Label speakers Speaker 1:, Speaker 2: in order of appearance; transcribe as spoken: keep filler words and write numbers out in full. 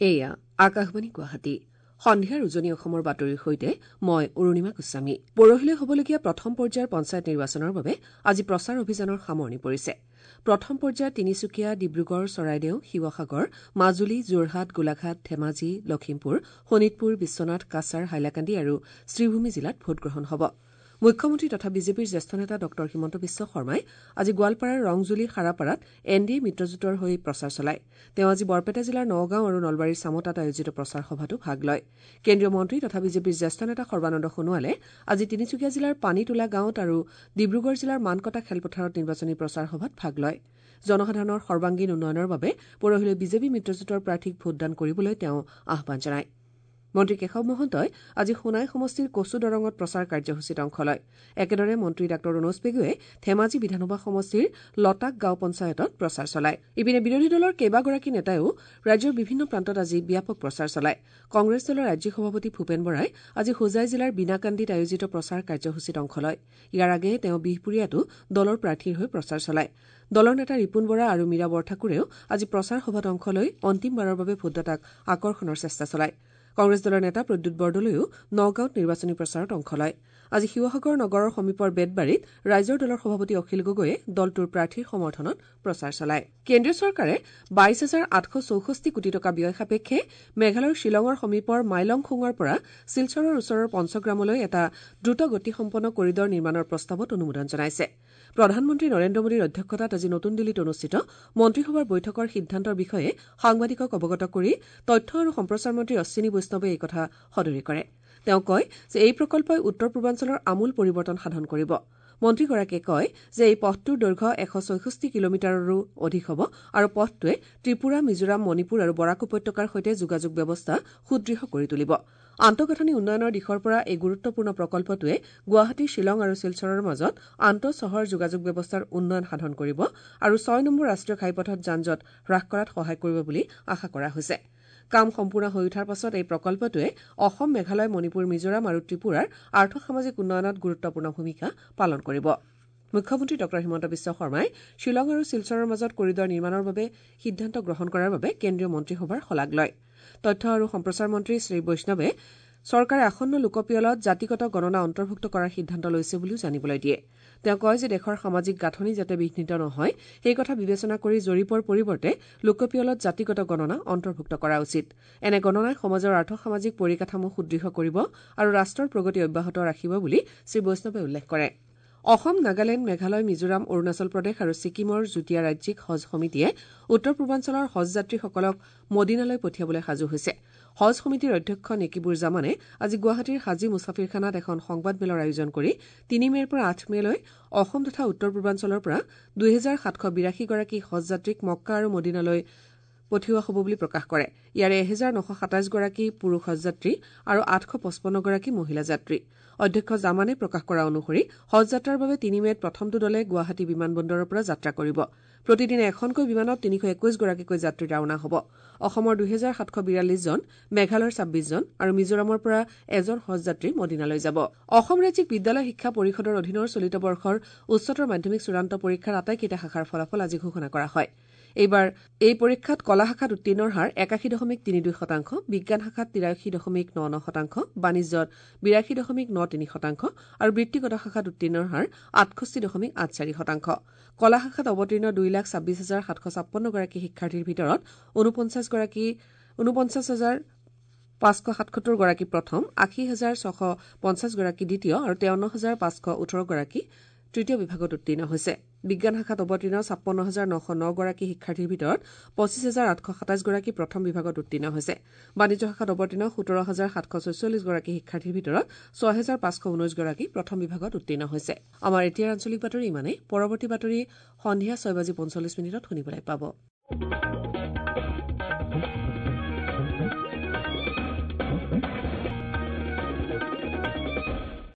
Speaker 1: এয়া আকাশবাণী গুৱাহাটী। সন্ধিয়াৰ উজনি অসমৰ বাতৰিৰ সৈতে মই অৰুণিমা গোস্বামী। পৰহিলৈ হ'বলগীয়া প্ৰথম পৰ্যায়ৰ পঞ্চায়ত নিৰ্বাচনৰ বাবে আজি প্ৰচাৰ অভিযানৰ সামৰণি পৰিছে। প্ৰথম পৰ্যায়ত তিনিচুকীয়া, ডিব্ৰুগড়, চৰাইদেউ, শিৱসাগৰ, মাজুলী, যোৰহাট, গোলাঘাট, ধেমাজি, লখিমপুৰ, শোণিতপুৰ, বিশ্বনাথ, কাছাৰ, হাইলাকান্দি আৰু শ্ৰীভূমি জিলাত ভোটগ্ৰহণ হ'ব। মুখ্যমন্ত্ৰী তথা বিজেপিৰ জ্যেষ্ঠ নেতা ডঃ হিমন্ত বিশ্ব শৰ্মাই আজি গোৱালপাৰাৰ ৰংজুলি সাৰাপাৰাত এন ডি এ মিত্ৰজোঁটৰ হৈ প্ৰচাৰ চলায়। তেওঁ আজি বৰপেটা জিলাৰ নগাঁও আৰু নলবাৰীৰ চামতাত আয়োজিত প্ৰচাৰ সভাতো ভাগ লয়। কেন্দ্ৰীয় মন্ত্ৰী তথা বিজেপিৰ জ্যেষ্ঠ নেতা সৰ্বানন্দ সোণোৱালে আজি তিনিচুকীয়া জিলাৰ পানীতোলা গাঁৱত আৰু ডিব্ৰুগড় জিলাৰ মানকটা খেলপথাৰত নিৰ্বাচনী প্ৰচাৰ সভাত ভাগ লয়। জনসাধাৰণৰ সৰ্বাংগীন উন্নয়নৰ বাবে পৰহিলৈ বিজেপি মিত্ৰজোঁটৰ প্ৰাৰ্থীক ভোটদান কৰিবলৈ তেওঁ আহ্বান জনায়। মন্ত্ৰী কেশৱ মহন্তই আজি সোণাই সমষ্টিৰ কচু দৰঙত প্ৰচাৰ কাৰ্যসূচীত অংশ লয়। একেদৰে মন্ত্ৰী ডাঃ ৰণোজ পেগুৱে ধেমাজি বিধানসভা সমষ্টিৰ লতাক গাঁও পঞ্চায়তত প্ৰচাৰ চলায়। ইপিনে বিৰোধী দলৰ কেইবাগৰাকী নেতাইও ৰাজ্যৰ বিভিন্ন প্ৰান্তত আজি ব্যাপক প্ৰচাৰ চলায়। কংগ্ৰেছ দলৰ ৰাজ্যিক সভাপতি ভূপেন বৰাই আজি হোজাই জিলাৰ বিনাকান্দিত আয়োজিত প্ৰচাৰ কাৰ্যসূচীত অংশ লয়। ইয়াৰ আগেয়ে তেওঁ বিহপুৰীয়াতো দলৰ প্ৰাৰ্থীৰ হৈ প্ৰচাৰ চলায়। দলৰ নেতা ৰিপুণ বৰা আৰু মীৰা বৰঠাকুৰেও আজি প্ৰচাৰ সভাত অংশ লৈ অন্তিমবাৰৰ বাবে ভোটদাতাক আকৰ্ষণৰ চেষ্টা চলায়। কংগ্ৰেছ দলৰ নেতা প্ৰদ্যুৎ বৰদলৈও নগাঁৱত নিৰ্বাচনী প্ৰচাৰত অংশ লয়। আজি শিৱসাগৰ নগৰৰ সমীপৰ বেতবাৰীত ৰাইজৰ দলৰ সভাপতি অখিল গগৈয়ে দলটোৰ প্ৰাৰ্থীৰ সমৰ্থনত প্ৰচাৰ চলায়। কেন্দ্ৰীয় চৰকাৰে বাইশ হাজাৰ আঠশ চৌষষ্ঠি কোটি টকা ব্যয় সাপেক্ষে মেঘালয়ৰ শ্বিলঙৰ সমীপৰ মাইলংখুঙৰ পৰা শিলচৰৰ ওচৰৰ পঞ্চগ্ৰামলৈ এটা দ্ৰুত গতিসম্পন্ন কৰিডৰ নিৰ্মাণৰ প্ৰস্তাৱত অনুমোদন জনাইছে। প্ৰধানমন্ত্ৰী নৰেন্দ্ৰ মোদীৰ অধ্যক্ষতাত আজি নতুন দিল্লীত অনুষ্ঠিত মন্ত্ৰীসভাৰ বৈঠকৰ সিদ্ধান্তৰ বিষয়ে সাংবাদিকক অৱগত কৰি তথ্য আৰু সম্প্ৰচাৰ মন্ত্ৰী অশ্বিনী বৈষ্ণৱে এই কথা সদৰি কৰে। তেওঁ কয় যে এই প্ৰকল্পই উত্তৰ পূৰ্বাঞ্চলৰ আমূল পৰিৱৰ্তন সাধন কৰিব। মন্ত্ৰীগৰাকীয়ে কয় যে এই পথটোৰ দৈৰ্ঘ্য এশ ছয়ষষ্ঠি কিলোমিটাৰৰো অধিক হ'ব আৰু পথটোৱে ত্ৰিপুৰা, মিজোৰাম, মণিপুৰ আৰু বৰাক উপত্যকাৰ সৈতে যোগাযোগ ব্যৱস্থা সুদৃঢ় কৰি তুলিব। আন্তঃগাঁথনি উন্নয়নৰ দিশৰ পৰা এই গুৰুত্বপূৰ্ণ প্ৰকল্পটোৱে গুৱাহাটী, শ্বিলং আৰু শিলচৰৰ মাজত আন্তঃচহৰ যোগাযোগ ব্যৱস্থাৰ উন্নয়ন সাধন কৰিব আৰু ছয় নম্বৰ ৰাষ্ট্ৰীয় ঘাইপথত যান জঁট হ্ৰাস কৰাত সহায় কৰিব বুলি আশা কৰা হৈছে। কাম সম্পূৰ্ণ হৈ উঠাৰ পাছত এই প্ৰকল্পটোৱে অসম, মেঘালয়, মণিপুৰ, মিজোৰাম আৰু ত্ৰিপুৰাৰ আৰ্থসামাজিক উন্নয়নত গুৰুত্বপূৰ্ণ ভূমিকা পালন কৰিব। মুখ্যমন্ত্ৰী ডঃ হিমন্ত বিশ্ব শৰ্মাই শ্বিলং আৰু শিলচৰৰ মাজত কৰিডৰ নিৰ্মাণৰ বাবে সিদ্ধান্ত গ্ৰহণ কৰাৰ বাবে কেন্দ্ৰীয় মন্ত্ৰীসভাৰ শলাগ লয়। তথ্য আৰু সম্প্ৰচাৰ মন্ত্ৰী শ্ৰী বৈষ্ণৱে চৰকাৰে আসন্ন লোকপিয়লত জাতিগত গণনা অন্তৰ্ভুক্ত কৰাৰ সিদ্ধান্ত লৈছে বুলিও জানিবলৈ দিয়ে। তেওঁ কয় যে দেশৰ সামাজিক গাঁথনি যাতে বিঘ্নিত নহয় সেই কথা বিবেচনা কৰি জৰীপৰ পৰিৱৰ্তে লোকপিয়লত জাতিগত গণনা অন্তৰ্ভুক্ত কৰা উচিত। এনে গণনাই সমাজৰ আৰ্থসামাজিক পৰিকাঠামো সুদৃঢ় কৰিব আৰু ৰাষ্ট্ৰৰ প্ৰগতি অব্যাহত ৰাখিব বুলি শ্ৰী বৈষ্ণৱে উল্লেখ কৰে। অসম, নাগালেণ্ড, মেঘালয়, মিজোৰাম, অৰুণাচল প্ৰদেশ আৰু ছিকিমৰ যুটীয়া ৰাজ্যিক হজ সমিতিয়ে উত্তৰ পূৰ্বাঞ্চলৰ হজযাত্ৰীসকলক মদিনালৈ পঠিয়াবলৈ সাজু হৈছে। হজ সমিতিৰ অধ্যক্ষ নেকিবুৰ জামানে আজি গুৱাহাটীৰ হাজী মুছাফিৰখানাত এখন সংবাদমেলৰ আয়োজন কৰি তিনি মে'ৰ পৰা আঠ মে'লৈ অসম তথা উত্তৰ পূৰ্বাঞ্চলৰ পৰা দুহেজাৰ সাতশ বিৰাশীগৰাকী হজযাত্ৰীক মক্কা আৰু মদিনালৈ পঠিওৱা হ'ব বুলি প্ৰকাশ কৰে। ইয়াৰে এহেজাৰ নশ সাতাইছগৰাকী পুৰুষ হজযাত্ৰী আৰু আঠশ পঁচপন্নগৰাকী মহিলা যাত্ৰী। অধ্যক্ষ জামানে প্ৰকাশ কৰা অনুসৰি হজযাত্ৰাৰ বাবে তিনি মে'ত প্ৰথমটো দলে গুৱাহাটী বিমানবন্দৰৰ পৰা যাত্ৰা কৰিব। প্ৰতিদিনে এখনকৈ বিমানত তিনিশ একৈশগৰাকীকৈ যাত্ৰী ৰাওনা হ'ব। অসমৰ দুহেজাৰ সাতশ বিৰাল্লিছজন, মেঘালয়ৰ ছাব্বিছজন আৰু মিজোৰামৰ পৰা এজন হজযাত্ৰী মদিনালৈ যাব। অসম ৰাজ্যিক বিদ্যালয় শিক্ষা পৰিষদৰ অধীনৰ চলিত বৰ্ষৰ উচ্চতৰ মাধ্যমিক চূড়ান্ত পৰীক্ষাৰ আটাইকেইটা শাখাৰ ফলাফল আজি ঘোষণা কৰা হয়। এইবাৰ এই পৰীক্ষাত কলা শাখাত উত্তীৰ্ণৰ হাৰ একাশী দশমিক তিনি দুই শতাংশ, বিজ্ঞান শাখাত তিৰাশী দশমিক ন ন শতাংশ, বাণিজ্যত বিৰাশী দশমিক ন তিনি শতাংশ আৰু বৃত্তিগত শাখাত উত্তীৰ্ণৰ হাৰ আঠষষ্ঠি দশমিক আঠ চাৰি শতাংশ। কলা শাখাত অৱতীৰ্ণ দুই লাখ ছাব্বিছ হাজাৰ সাতশ ছাপন্নগৰাকী শিক্ষাৰ্থীৰ ভিতৰত ঊনপঞ্চাছগৰাকী ঊনপঞ্চাছ হাজাৰ পাঁচশ সাতসত্তৰগৰাকী প্ৰথম, আশী হাজাৰ ছশ পঞ্চাছগৰাকী দ্বিতীয় আৰু তেৱন্ন হাজাৰ পাঁচশ ওঠৰগৰাকী তৃতীয় বিভাগত উত্তীৰ্ণ হৈছে। বিজ্ঞান শাখাত অৱতীৰ্ণ ছাপন্ন হাজাৰ নশ নগৰাকী শিক্ষাৰ্থীৰ ভিতৰত পঁচিছ হাজাৰ আঠশ সাতাইছগৰাকী প্ৰথম বিভাগত উত্তীৰ্ণ হৈছে। বাণিজ্য শাখাত অৱতীৰ্ণ সোতৰ হাজাৰ সাতশ ছয়চল্লিছগৰাকী শিক্ষাৰ্থীৰ ভিতৰত ছয় হাজাৰ পাঁচশ ঊনৈছগৰাকী প্ৰথম বিভাগত উত্তীৰ্ণ হৈছে। আমাৰ এতিয়াৰ আঞ্চলিক বাতৰি ইমানেই। পৰৱৰ্তী বাতৰি সন্ধিয়া ছয় বাজি পঞ্চল্লিছ মিনিটত শুনিবলৈ পাব।